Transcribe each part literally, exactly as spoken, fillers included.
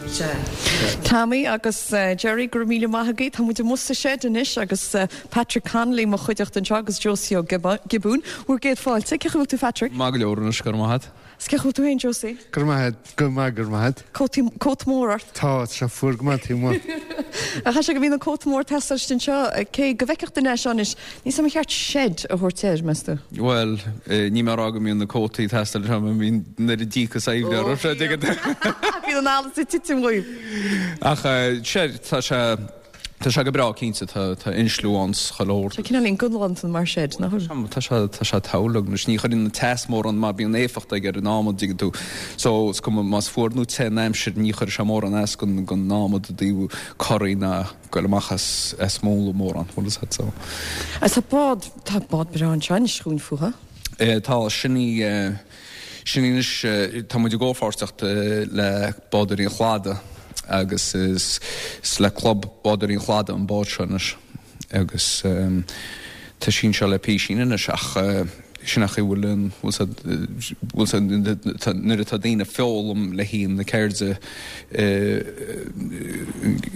Sea. Tommy agus Jerry, go raibh míle maith agaibh. Tá muid amuigh sa shed anois agus Patrick Connolly mo chuideachta anseo agus Josie Ó Giobúin. Bhur gcéad fáilte. Cén chaoi a bhfuil tú Patrick? Maith go leor anois, go raibh maith agat. Is cén chaoi a bhfuil tú féin Josie? Go raibh maith agat, go maith, go raibh maith agat. Cótaí, cóta mór ort. Tá, tá sé fuar go maith taobh amuigh. Ach sé go mbíonn an cóta mór ag teastáil anseo, cé go bhfeicfeadh duine é seo anois, níl a fhios agam an cheart shed a thabhairt air, meas tú? Bhuel, ní mé a rá go mbíonn na cótaí ag teastáil anseo, mar bíonn an oiread díocas oibre orthu, sé, dtuigeann tú. Bíonn an allas ag titim dhíobh. Ach sé, tá sé, tá sé go breá cinnte, tá, tá insliú ann 's chuile shórt. Tá cineáilín galánta mar shed, nach bhfuil? Tá sé, tá sé togha anois, ní chuireann an teas mórán mar bíonn éifeacht aige ar an adhmad, dtuigeann tú. So, is cuma más fuar nó te an aimsir, ní chuirfidh sé mórán as gon, gon adhmad i dtaobh corraí ná goil amach as, as múnla mórán, bhfuil fhios agat, so. Agus tá bád, tá bád breá anseo anois chugainn fúthu. Eh, tá, sin í, eh, sin í anois, eh, tá muid i gcomhpháirtíocht eh, le Bádóirí an Chladaigh agus is, is le Club Bádóirí an Chladaigh an bád seo anois agus eh, tá sí anseo le písín anois ach eh, sin ach bhfuil an bhfuil siad bhfuil siad tá- nuair atá daoine ag foghlaim le haghaidh na ceirde eh,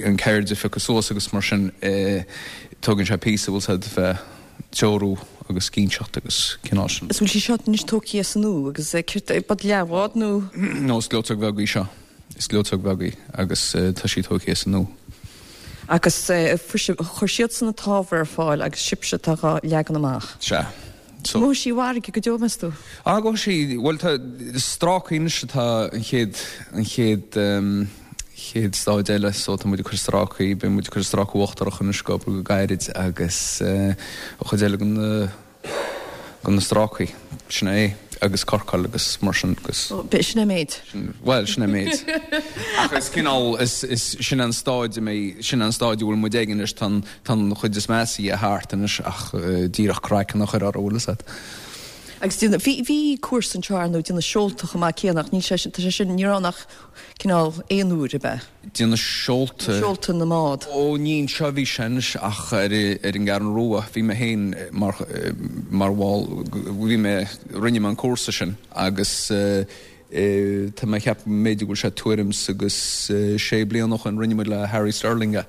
an ceird a phiocadh suas agus mar sin eh, tógann sé píosa bhfuil siad bheith treorú agus cinnteacht agus cineál sin. Is bhfuil sí seo anois tógtha as an nua agus eh, céard é, bád leathbhád nó No, is gleoiteog bheag í seo. Is gleoiteog bheag í agus eh, tá sí tógtha as an nua. agus eh, fuair si- chuir siadsan an t-ábhar ar fáil agus sibhse atá dhá leagan amach. Sea. So, Gabhfaidh sí i bhfarraige go deo meas tú? Á go sí bhuel tá strácaí anois atá an chéad an chéad um, chéad stáid eile so tá muid ag cur strácaí beidh muid ag cur stráca uachtarach anois go go gairid agus uh, an chuid eile den na den na strácaí sin é agus corcáil agus mar sin agus Ó, Be sin é méid. Well sin é méid. Ach is cineál is is sin an stáid mé sin an stáid bhfuil muid ag anois tá tá an chuid is measa thart anois ach uh, díreach craiceann a chur ar bhfuil agat. Agus déanamh- bhí bhí cúrsa anseo ar nó déanamh seolta chomh maith céanna ach níl sé sin tá sé sin ní raibh ach cineál aon uair a bheith. Déanamh seolta Seolta na mbád. Ó ní seo bhí sin ach ar ar an gCeathrú Rua bhí mé féin mar mar bhall bhí mé rinne mé an cúrsa sin agus uh, uh, tá mé cheap méid go bhfuil sé tuairim agus uh, sé bliana ó shin rinne muid le Harry Sterling é.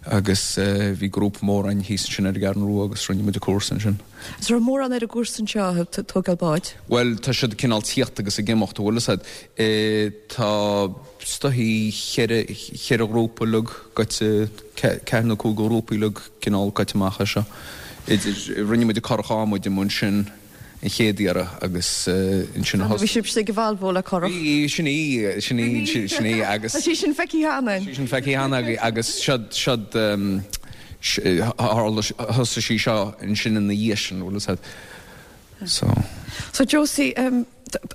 agus uh, bhí grúpa mór ann thíos sin ar an gCeathrú Rua agus rinne muid an cúrsa sin. Is raibh mórán ar an gcúrsa anseo tógáil báid. Well tá siad cineál tíocht agus ag imeacht bhfuil agat e, tá stohí cheithre cheithre ghrúpa lug goite ceathair nó cúig grúpaí lug cineál goite amach seo. Idir rinne muid curach adhmaid i sin an chéad iarraidh agus uh, ansin Bhí sibh ag Volvo le curach. Bhí sin í sin í sin í agus Tá sí sin feicthe cheana. sin feicthe cheana agus siad siad um, thosaigh sí seo ansin ina dhiaidh sin bhfuil agat. So So Josie, um,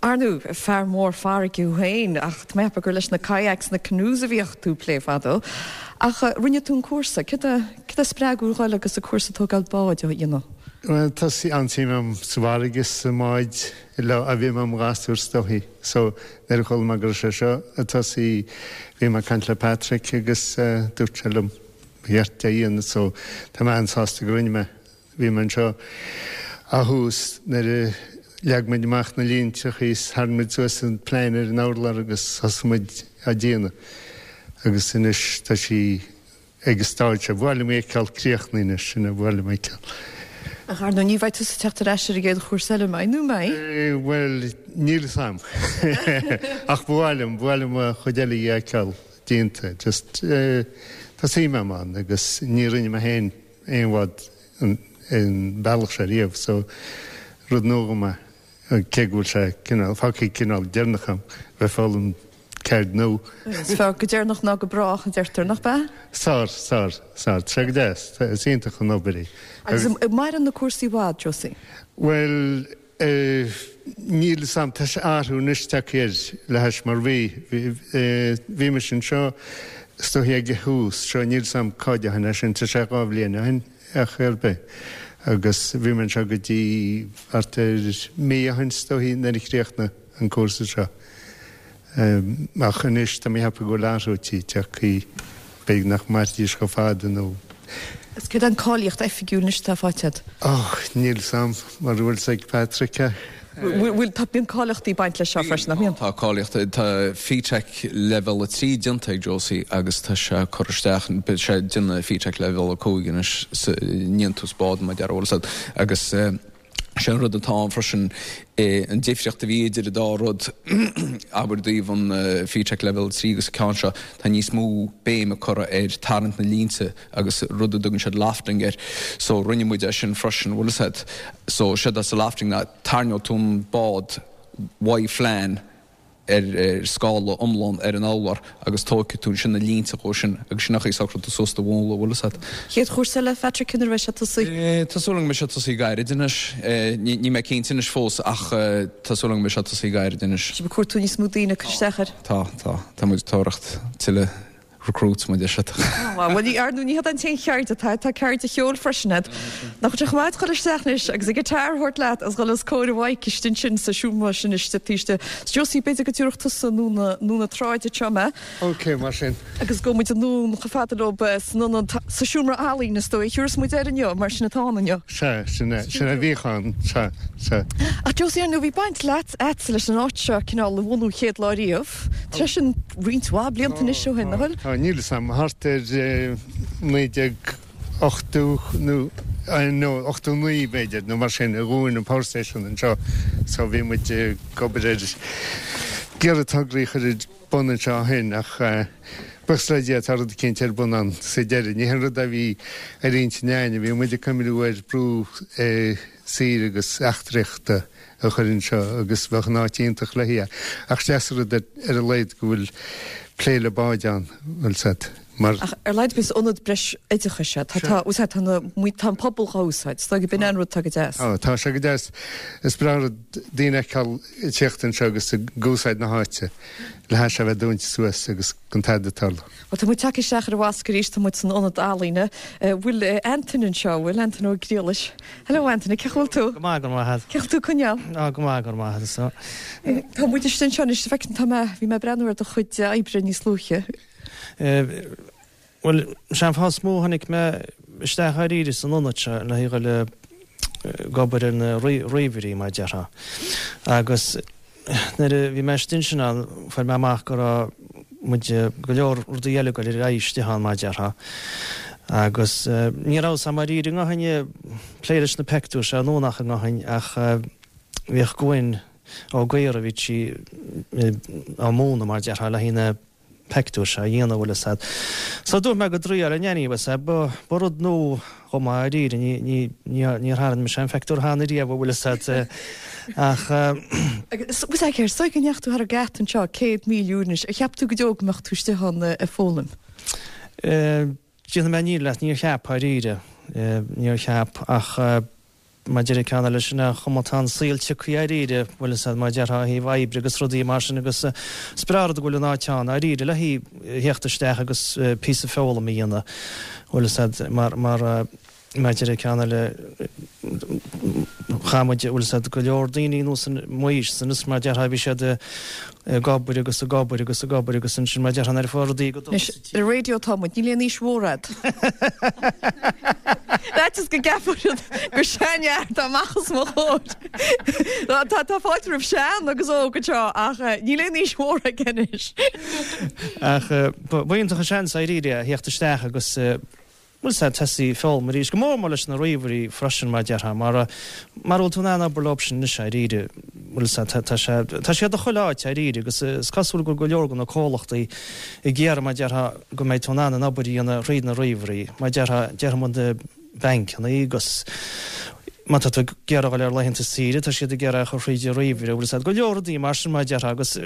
ar ndóigh fear mór farraige féin ach tá gur leis na kayaks na canoes a bhíodh tú ag plé fadó. Ach uh, rinne tú an cúrsa, cad a spreag thú agus an cúrsa tógáil báid a dhéanamh. Well, tá sí an-suim agam sa bhfarraige sa mbáid le a bhí am gasúr is dóichí. So nuair a chuala mé go sé seo atá sí bhí mé ag caint le Patrick agus uh, dúirt sé liom cheart é a dhéanamh so tá mé an-sásta go rinne mé bhí mé anseo a thús nuair a leag muid amach na línte is tharraing muid suas an plean ar an urlár agus thosaigh muid á déanamh. Agus anois tá sí ag stáid se bhile méceall críochnaíine sin a bhile méceall. Ach ar ní bheidh tú ag teacht ar ais ar an gcéad chúrsa eile mé nó mé? Well níl a fhios agam. Ach bhhailm bhhailm a chuid eile fheiceáil déanta. Just uh, tá suim agam ann agus ní rinne mé féin aon bhád an bealach sé riamh, so rud nua mé cé go bhfuil sé cineál fágtha cineál deireanach agam bheith foghlaim ceird nua. Is fearr go deireanach ná go brách an deirtear nach bea? Sár, sár, sár, tre go deas, is iontach an obair í. Agus maireann na cúrsaí i bhfad, Josie? Well, uh, níl sam tá sé athrú anois air le hais mar bhí bhí mé sin seo stohí ag thús seo níl sam cáidehan sin tá sé dhá bhliain ó shin ach ar bith. Agus bhí mé seo go dtí thart ar mí ó shin is dóichí nuair a chríochnaigh an cúrsa seo. Um, ach anois tá mé ag ceapadh go bhfuil athrú tagtha b'fhéidir nach mairfidís chomh fada nó. Is céard an cáilíocht oifigiúil anois atá faighte? Oh, níl sam mar bhfuil ag Patrick. Bhfuil tá bíonn cáilíochtaí ag baint leis seo freisin, nach mbíonn? Tá cáilíocht, tá FiTech level a trí déanta ag Josie agus tá sé ag cur isteach, beidh sé ag déanamh FiTech level a cúig anois sa ndéantús bád mar a déarfá, bhfuil a fhios agat, agus sé an rud atá ann freisin an difríocht a bhí idir an dá rud, abair i dtaobh an FiTech level a trí agus an ceann seo, tá níos mó béime curtha ar tarraingt na línte agus rud a dtugann siad lofting air. So rinne muid é sin freisin, bhfuil a fhios agat. So séard atá sa lofting ná tarraingeoidh tú an bád uaidh phlean ar scála iomlán ar an urlár agus tógfaidh tú ansin na línte dhó sin agus sin an chaoi a socróidh tú suas do mhúnla, bhfuil a fhios agat. Chéad chúrsa eile, Phatrick, nuair a bheidh sé tosaithe? Tá súil agam go mbeidh sé tosaithe gairid anois. Níl mé cinnte anois fós ach tá súil agam go mbeidh sé tosaithe gairid anois. Sibh ag cuartú níos mó daoine ag cur isteach air? Tá, tá. Tá muid ag tóracht tuilleadh recruits mar a deir siad. Bhuel, ní, ar ndóigh, ní hiod an t-aon cheird atá, tá ceird an cheoil freisin agat. Nach bhfuil sé chomh maith dul isteach anois agus an guitar a thabhairt leat agus dhul os comhair an mhic istigh ansin sa seomra sin istigh taobh istigh. 'S Josie, b'fhéidir go dtabharfadh tusa anonn anonn na tráide anseo mé. Ok, mar sin. Agus gabhfaidh muid anonn chomh fada leo san ionad, sa seomra ealaíne is dóigh a thiúrfas muid air inniu, mar sin atá ann inniu. Sea, sin é, sin é a bhíodh ann, sea, sea. Ach Josie, ar ndóigh, bhí baint leat, agatsa leis an áit seo cineál a bhunú chéad lá riamh. Tá sé sin roinnt mhaith blianta anois ó shin, nach bhfuil? Tá, níl 'fhios a'm, thart ar naoi déag ochtó nó nó ochtó naoi b'fhéidir nó mar sin a dhún an power station anseo so bhí muid ag obair ar ag iarraidh tograí a chur ar bun anseo ó shin ach buíochas le Dia tá rud eicínt ar bun ann sa deireadh. Ní haon rud a bhí ar intinn a'inn, bhí muid ag cuimhniú ar brú saoire agus eachtraíochta a chur anseo agus bheadh an áit iontach le haghaidh é. Ach is deas an rud ar a laghad go bhfuil plé le báid ann, bhfuil 's a'd, mar. Ach ar a laghad is ionad breis oideachais é. Tá, tá, bhfuil 's a'd, tá na, tá an pobal dhá úsáid. Is dóigh go b'in an rud atá go deas. Tá, tá sé go deas. Is breá an rud daoine a fheiceáil ag tíocht anseo agus ag úsáid na háite le hais a bheith dúnta suas agus gan tada ag tarlú. Bhuel, tá muid tagtha isteach ar an Mhosc arís, tá muid san ionad ealaíne. Bhfuil Antain anseo, bhfuil Antain Ó Griallais? Hello Antain, cén chaoi a bhfuil tú? Go maith, go raibh maith agat. Cén chaoi a bhfuil tú ag coinneáil? Á, go maith, go raibh maith agat, so. Tá muid istigh anseo anois, feicim, tá mé, bhí mé ag breathnú ar do chuid oibre níos luaithe. Bhuel, sé an fáth is mó a tháinig mé isteach dháiríre san ionad seo le haghaidh dhul ag obair ar na ríomhairí, mar a déarfá. Agus nuair a bhí mé istigh ansin ann, fuair mé amach go raibh muid, go leor rudaí eile ag dul ar aghaidh istigh ann, mar a déarfá. Agus ní raibh 'fhios a'm dháiríre i ngothain plé leis na peictiúir seo nó nach i ngothain ach bhíodh Gwen Ó Gaora, bhí sí á múineadh, mar a déarfá, le haghaidh na peictiúir seo a dhéanamh, bhfuil 'fhios a'd. So dúirt mé go dtriáil in anyway, bhfuil 'fhios a'd, ba, ba rud nua chomh maith dháiríre, ní, ní, ní, níor tharraing mise aon pheictiúr cheana riamh, bhfuil 'fhios a'd, ach. Agus, bhfuil 'fhios a'd céard, is dóigh go ndeachaigh tú thar an geata anseo céad míle uair anois, ar cheap tú go deo go mbeadh tú istigh ann ag foghlaim? Eh, déanfaidh mé an fhírinne leat, níor cheap, dháiríre, eh, níor cheap, ach eh, Mar deir an ceann eile sin an chuma atá an saol tioctha dháiríre, bhfuil 'fhios a'd, mar a déarfá ó thaobh oibre agus rudaí mar sin agus is breá an rud go bhfuil an áit ann dháiríre le haghaidh theacht isteach agus píosa foghlaim a dhéanamh, bhfuil 'fhios a'd, mar, mar, mar deir an ceann eile chaith muid, bhfuil 'fhios a'd, go leor daoine anuas in m'aois san is mar a déarfá bhí siad ag obair agus ag obair agus ag obair agus ansin mar a déarfá nuair a fuair rudaí go dona Anois, ar an raidió atá muid, níl aon aois mhór a'd. Faitíos go gceapfadh siad gur seanfhear atá amach os mo chomhair. Tá tá fáilte roimh sean agus óg anseo ach níl aon aois mhór aige anois. Ach ba iontach an seans dháiríre a theacht isteach agus bhfuil 'fhios a'd, tosaí ag foghlaim arís, go mór mór leis na ríomhairí freisin, mar a déarfá, mar mara bhfuil tú in ann obair leo sin anois dháiríre, bhfuil 'fhios a'd, tá sé, tá siad i chuile áit dháiríre agus is cosúil go bhfuil go leor de na comhlachtaí ag iarraidh, mar a déarfá, go mbeidh tú in ann an obair a dhéanamh thríd na ríomhairí, mar a déarfá, déarfaidh muid na bancanna agus má tá tú ag iarraidh dul ar laethanta saoire, tá siad ag iarraidh a chur thríd an ríomhaire, bhfuil 'fhios a'd, go leor rudaí mar sin, mar a déarfá, agus.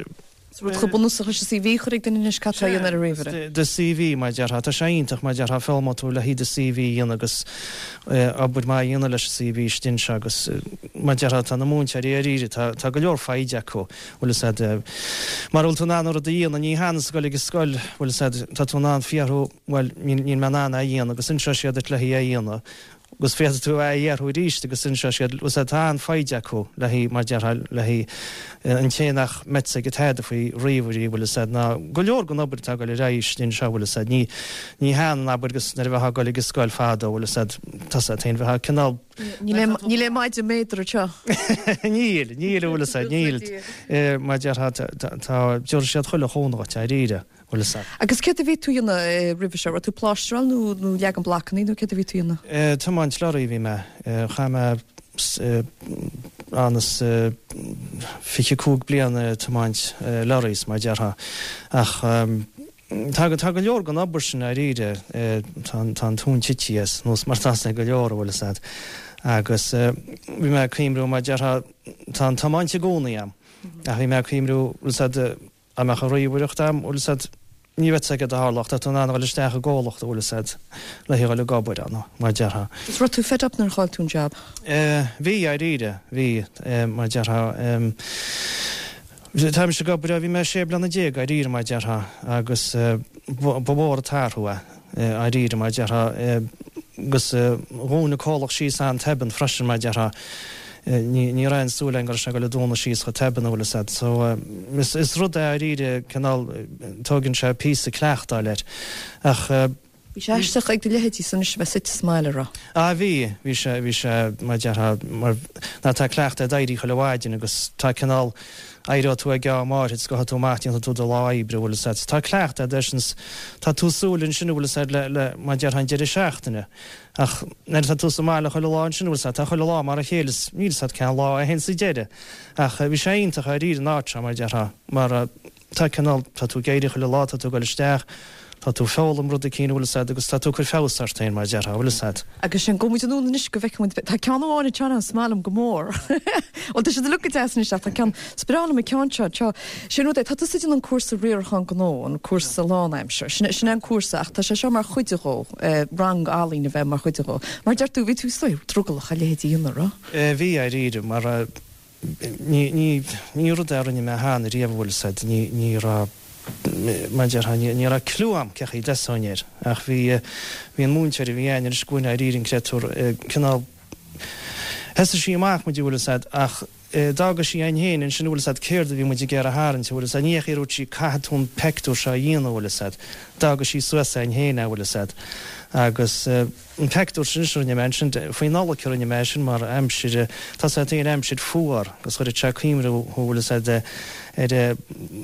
Is rud chomh bunúsach leis an CV a chur ag duine anois, cad tá a dhéanamh ar an ríomhaire? Do CV, mar a déarfá, tá sé iontach, mar a déarfá, foghlaimeoidh tú le haghaidh do CV a dhéanamh agus obair maith a dhéanamh leis an CV istigh anseo agus, mar a déarfá, tá na múinteoirí dháiríre, tá, tá go leor foighde acu, bhfuil 'fhios a'd, mara bhfuil tú in ann an rud a dhéanamh, ní hionann is dul ag an scoil, bhfuil 'fhios a'd, tá tú in ann fiafraí, bhuel, níl, níl mé in ann é a dhéanamh agus inseoidh siad duit le haghaidh é a dhéanamh. agus féadfaidh tú é a fhiafraí arís agus inseoidh siad, bhfuil 'fhios a'd, tá an-fhoighde acu le haghaidh, mar déarfá, le haghaidh an té nach mbeadh 'fhios aige tada faoi ríomhairí, bhfuil 'fhios a'd, ná go leor den obair atá ag dul ar aghaidh istigh anseo, bhfuil 'fhios a'd, ní, ní hionann, abair, agus nuair a bheifeá ag dul ag an scoil fadó, bhfuil 'fhios a'd, tá 'fhios a'd féin, bheifeá cineál Níl aon maide méadar anseo. Níl, níl, bhfuil fhios a'd, níl. Mar a déarfá, tá, déarfaidh siad chuile chónra dhuit, dáiríre, bhfuil fhios a'd. Agus céard a bhí tú a dhéanamh roimhe seo? Raibh tú plástráil nó nó leagan blocannaí nó céard a bhí tú a dhéanamh? Tiomáint lorraí a bhí mé. Chaith mé ionann is fiche cúig bliain ag tiomáint lorries, mar a déarfá. Ach Tá, tá go leor den obair sin dáiríre, tá an, tá an tóin tite as, nós mar atá ag go leor, an bhfuil fhios a'd. Agus bhí mé ag cuimriú, mar a déarfá, tá an tiomáint i gcónaí a'm, ach bhí mé ag cuimriú, bhfuil fhios a'd, dá mbeadh an ríomhaireacht a'm, bhfuil fhios a'd, ní raibh fhios a'd céard a tharlódh, tá tú in ann a dhul isteach i gcomhlacht, bhfuil fhios a'd, le dhul ag obair ann, mar a déarfá. Is raibh tú fed up nuair a chaill tú an jab? Bhí, dáiríre, bhí, mar a déarfá. Táimse ag obair ó bhí mé sé bliana déag, dáiríre mar a déarfá, agus ba mhór an t-athrú é, dáiríre mar a déarfá, agus dhún an comhlacht síos an-tobann freisin mar a déarfá. Ní ní raibh aon súil againn go raibh sé ag dul a dúnadh síos chomh tobann, an bhfuil fhios a'd. So is is rud é dáiríre, cineál, tógann sé píosa cleachtáil air. Ach. Bhí sé aisteach ag do leithéidí san anois a bheith suite sa mbaile, a raibh? Ah bhí, bhí sé, bhí sé, mar a déarfá, mar ná tá cleachtadh a'd éirí chuile mhaidin agus tá cineál, éireoidh tú ag am áirithe is gabhfaidh tú amach, déanfaidh tú do lá oibre, bhfuil fhios a'd. Tá cleachtadh a'd air sin 's tá tú súil ansin, bhfuil fhios a'd, le, le, mar a déarfá, an deireadh seachtaine. Ach nuair atá tú sa mbaile chuile lá ansin, bhfuil fhios a'd, tá chuile lá mar a chéile is níl fhios a'd cén lá a théann sa deireadh. Ach bhí sé iontach dáiríre an áit seo, mar a déarfá, mar tá cineál, tá tú ag éirí chuile lá, tá tú ag dul isteach, Tá tú ag foghlaim rud eicínt, bhfuil fhios a'd, agus tá tú ag cur feabhas ort féin, mar a déarfá, bhfuil fhios a'd. Agus sin, gabhfaidh muid anonn anois go bhfeicfidh muid, tá ceann amháin anseo is maith liom go mór. Bhuel, tá siad uilig go deas anois ach tá ceann, is breá liom an ceann seo, seo, sin rud é, tá tusa ag déanamh an cúrsa riarachán gnó, an cúrsa lánaimseartha, sin, sin é an cúrsa ach tá sé seo mar chuid dhó, rang ealaíne a bheith mar chuid dhó. Mar deir tú, bhí tú istigh drogallach a leithéid a dhéanamh, raibh? Bhí, dáiríre, mar ní, ní, ní rud é a rinne mé cheana riamh, bhfuil fhios a'd, ní, ní raibh, mar a déarfá, ní raibh cliú a'm cé chaoi a dtosóinn air, ach bhí, bhí an múinteoir a bhí a'inn ar an scuaine dáiríre an créatúr, cineál, thosaigh sí amach muid, bhfuil fhios a'd, ach d'fhága sí a'inn féin ansin, bhfuil fhios a'd, céard a bhí muid ag iarraidh a tharraingt, bhfuil fhios a'd, ní hé a dúirt sí caithfidh tú an peictiúr seo a dhéanamh, bhfuil fhios a'd, d'fhága sí suas a'inn féin é, bhfuil fhios a'd, agus. An peictiúr sin a rinne mé ansin, faoi Nollaig a rinne mé é sin mar aimsir, tá fhios a'd féin aimsir fuar agus chuirfeadh sé cuimhne thú bhfuil fhios a'd ar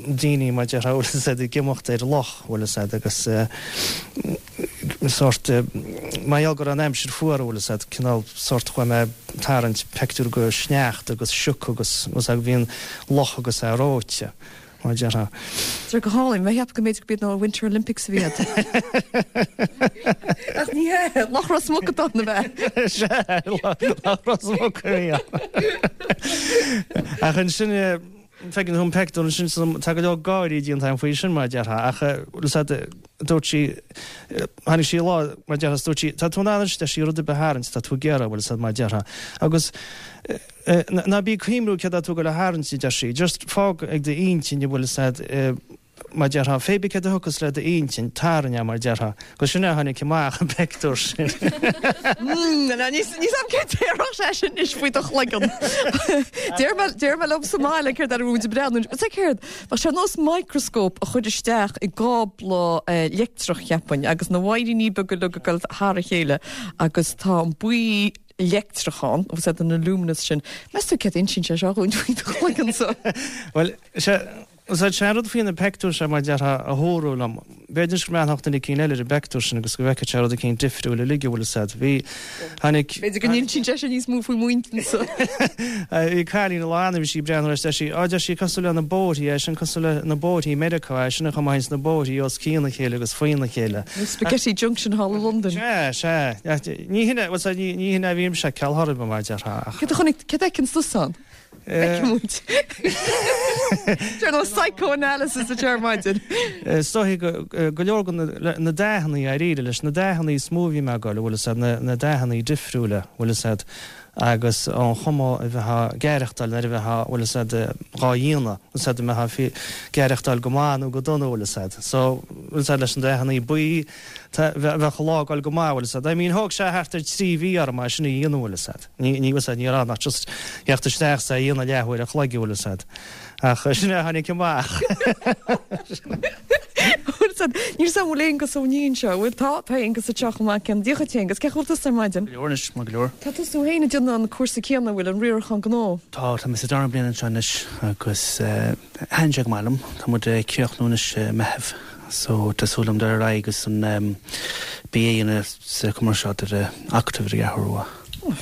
daoine mar a déarfá bhfuil fhios a'd ag imeacht ar loch bhfuil fhios a'd agus sórt mar gheall go raibh an aimsir fuar bhfuil fhios a'd cineál sórt chuaigh mé ag tarraingt peictiúr go sneachta agus sioc agus bhfuil fhios a'd bhí an loch agus é reoite. Mar a déarfá. Tá go hálainn. Mé cheap go mb'fhéidir go b'iad na Winter Olympics a bhí agat. Ach ní hea, Loch Ros Muc atá ann ab ea? Sea, Loch Ros Muc a bhí ann. Ach ansin, feiceann tú an peictiúr ansin, tá go leor gáirí déanta agam faoi sin, mar a déarfá, ach bhfuil fhios a'd, dúirt sí, tháinig sí lá, mar a déarfá, is dúirt sí, tá tú in ann anois, deir sí, rud ar bith a tharraingt, tá tú ag iarraidh, bhfuil fhios a'd, mar a déarfá. Agus. Ná bí ag cuimhniú céard atá tú ag dul a tharraingt, a deir sí. Just fág ag d'intinn a bhfuil fhios a'd, mar a déarfá, pé bith céard a thiocfas le d'intinn, tarraing é, mar a déarfá. Agus sin é a tháinig amach, an peictiúr sin. Níl fhios a'm céard déarfadh sé sin anois faoi do chloigeann. Deir mé, deir mé liom sa mbaile céard ar a bhfuil muid ag breathnú. Is é céard? Bheadh sé ar nós microscope a chur isteach i gcábla leictreach, cheapfainn, agus na wairíní beaga uilig ag dul thar a chéile agus tá an buí leictreach ann, agus iad an luminous sin. Meas tú céard a insíonn sé seo dhúinn faoi do chloigeannsa? Bhuel, sea, is é an rud faoi na peictiúir seo mar a déarfá a thabharfadh liom. B'fhéidir go mbreathnódh duine eicínt eile ar an bpeictiúr sin agus go bhfeicfeadh sé rud eicínt difriúil uilig, an bhfuil fhios a'd. Bhí, tháinig. B'fhéidir go n-insíonn sé sin níos mó faoi m'intinnsa. Bhí cailín lá ann a bhí sí ag breathnú air is deir sí, á, deir sí, cosúil le na bóithrí é sin, cosúil le na bóithrí i Meiriceá é sin an chuma a théanns na bóithrí os cionn a chéile agus faoina chéile. Nó Spaghetti Junction thall i Londain. Sea, sea. Ní hin é, bhuel, sea, ní, ní hin é a bhí mise ag ceal chor ar bith, mar a déarfá, ach. Céard a chonaic, céard a fheiceanns tusa ann? Feicfidh muid. Déan an psychoanalysis a deir maidin. Is dóichí go, go leor de na, na dathannaí, dáiríre, leis na dathannaí is mó a bhí mé ag goil, bhfuil fhios a'd, na, na dathannaí difriúla, bhfuil fhios a'd, agus an chuma a bheifeá ag aireachtáil nuair a bheifeá, bhfuil fhios a'd, dhá dhéanamh, bhfuil fhios a'd, an mbeifeá ag aireachtáil go maith nó go dona, bhfuil fhios a'd. So, bhfuil fhios a'd, leis na dathannaí buí, tá, bheadh an lá ag goil go maith, bhfuil fhios a'd. I mean, thóg sé thart ar trí mhí orm é sin a dhéanamh, bhfuil fhios a'd. Ní, ní, bhfuil fhios a'd, ní raibh ann ach just theacht isteach is é a dhéanamh leathuair a chloig, bhfuil fhios a'd. Ach sin é a tháinig amach. Bhfuil fhios a'd, níl fhios a'm an bhfuil Aonghus Ó Nín anseo, bhfuil tá tá Aonghus anseo chomh maith cén díocha Aonghus, cén chaoi a bhfuil tusa ar maidin? Go leor anois, maith go leor. Tá tusa féin ag déanamh an cúrsa céanna, bhfuil an riarachán gnó? Tá, tá mé sa dara bliain anseo anois agus thaitin sé go maith liom. Tá muid ag críochnú anois i Meitheamh so tá súil agam dul ar aghaidh agus an BA a dhéanamh sa chumarsáid ar Acadamh ar an gCeathrú Rua.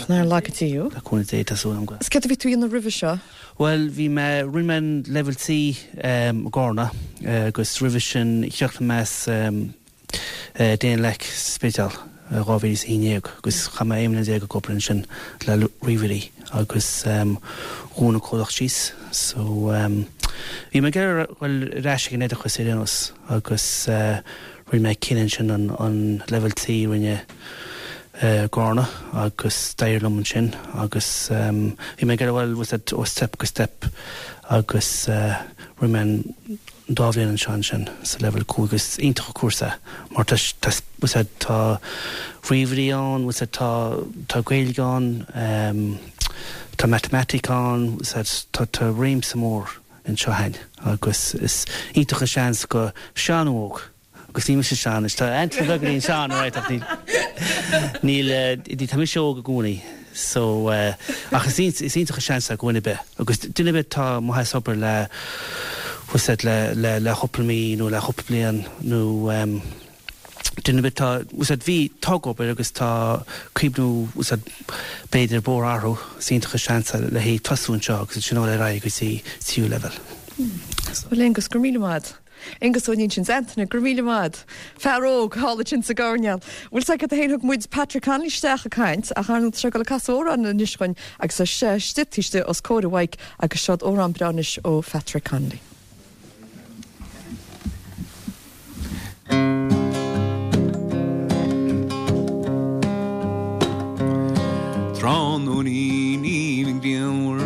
Nár laga Dia thú. Le cúnamh Dé, tá súil agam go. Is céard a bhí tú a dhéanamh roimhe seo? Bhuel, bhí mé, rinne mé an Level C i gCarna agus roimhe sin chríochnaigh mé as Danelecc sa Spidéal i dhá mhíle is a haon déag agus chaith mé aon bhliain déag ag obair ansin le ríomhairí agus dhún an comhlacht síos. So bhí mé ag iarraidh dhul ar ais ag an oideachas ar aon nós agus rinne mé cinneadh ansin an Level C a rinne i gCarna agus d'éirigh liom ansin agus bhí mé ag iarraidh bhuel was that ó step go step agus rinne mé an dá bhliain anseo ansin sa level cúig agus iontach an cúrsa mar tá tá was that tá ríomhairí ann was that tá tá Gaeilge ann tá matamaitic ann was that tá tá réimse mór anseo ann agus is iontach an seans go sean nó óg. Agus níl mise sean, is tá Anthony beagáinín sean, right, ach níl, níl, eh, tá mise óg i gcónaí, so, eh, ach is is iontach an seans é go dhuine ar bith. Agus duine ar bith atá amuigh as obair le, what's that, le, le, le cúpla mí nó le cúpla bliain nó, em, duine ar bith atá, what's that, bhí, tá ag obair agus tá cuimhniú, what's that, b'fhéidir bóthar a athrú, is iontach an seans é le haghaidh tosú anseo agus ansin dul ar aghaidh go dtí tríú leibhéal. Bhuel, Aonghus, go raibh míle maith. Aonghus Ó Nín sin Anthony, go raibh míle maith. Fear óg thall ansin sa gcoirnéal. Bhfuil 's agat a fhéin thug muid Patrick Connolly isteach ag caint ach ar ndóigh tá sé ag dul ag casadh amhrán anois chugainn agus tá sé istigh taobh istigh os comhair an mhic agus seod amhrán breá anois ó Phatrick Connolly. Tráthnóinín aoibhinn grianmhar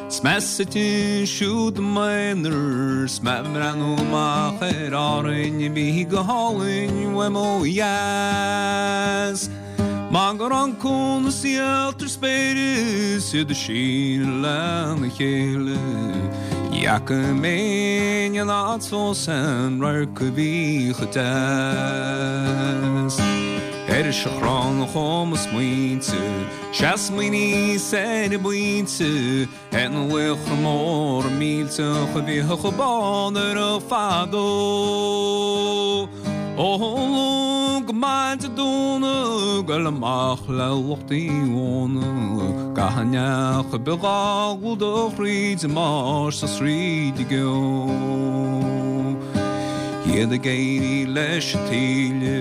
's mé suite ansiúd i m'aonar 's mé ag breathnú amach ar Árainn a bhí go hálainn uaim ó dheas. Mar go raibh an cuan is ialtra spéire 's iad ag síneadh lena chéile Ní fhaca mé in aon áit fós an radharc a bhí chomh deas. Ar an seachrán a chuaigh mo smaointe, Sea smaoiníos ar an bpointe, Ar na laochra móra millteacha a bhíodh ag bádóireacht fadó. Ó Luan go maidin Dé Domhnaigh, goil amach le lucht Uí Mhóna, Gach neach a bheadh dhá gclúdach thríd an mbáisteach 's thríd an gceo. Iad ag éirí leis an taoille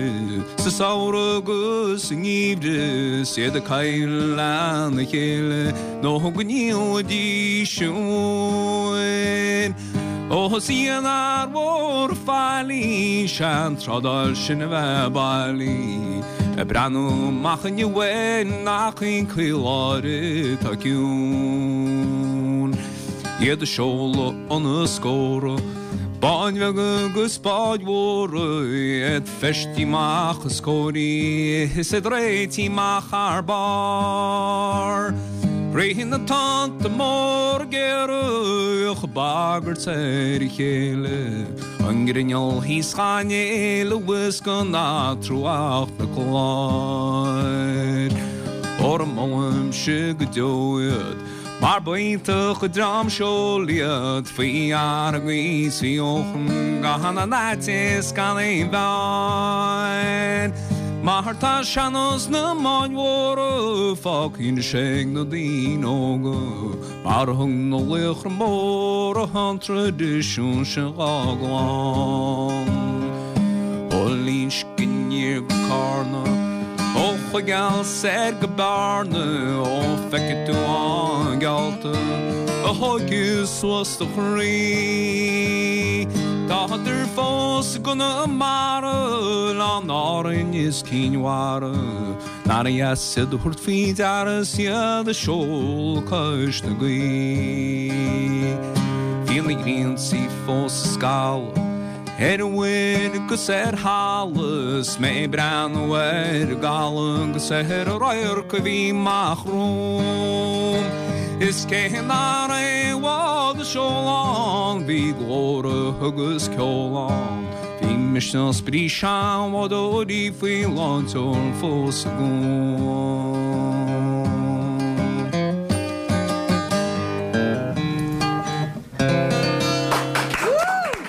sa samhradh agus sa ngeimhreadh, 's iad ag caidhleadh lena chéile nó go ndíolfaidís an mhóin. Ó is í an fhear mhór faillí, 'sea an trádáil sin a bheith bailí, ag breathnú amach inniu air nach í an caoláire atá ciúin. Iad ag seoladh ina scórtha, báid bheaga agus báid mhóra, iad feistithe amach is cóirithe is iad réitithe amach thar barr. Rith na tonnta móra géara ag bagairt ar a chéile, an grinneall thíos dhá n-éileamh is gan athrú ach na cláir. Óra molaimse go deo iad, Mar b'iontach an dream seoil iad faoi fhearg is faoi fheochan gan aon fhaitíos gan aon bheann. Mar tá sean-nós na mbád mhóra fágtha anois ag na daoine óga, mar thug na laochra móra an traidisiún sin dhá gclann. Ó Fhlinsce aniar go Carna, Ó Chuigéal soir go Bearna, ó feicfidh tú an geallta a thógfaidh suas do chroí. Tádar fós i gConamara, Oileáin Árann is Cinn Mhara, nár dheas iad a thabhairt faoi deara 's iad ag seoladh cois na gaoithe. Bhí na griantaí fós ag scalladh. Ar an mhuir agus ar thalamh 's mé ag breathnú ar an gcaladh agus ar an radharc a bhí amach romham. Is cé nach raibh aon bhád ag seoladh ann bhí glórtha agus ceol ann. Bhí Misneach 's brí seanbhádóirí faoi lánseol fós agam.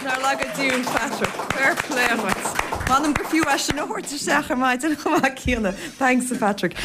Nár laga Dia Patrick. Fair play duit. M'anam gur fiú é sin a thabhairt isteach ar maidin chomh maith céanna. Thanks Patrick.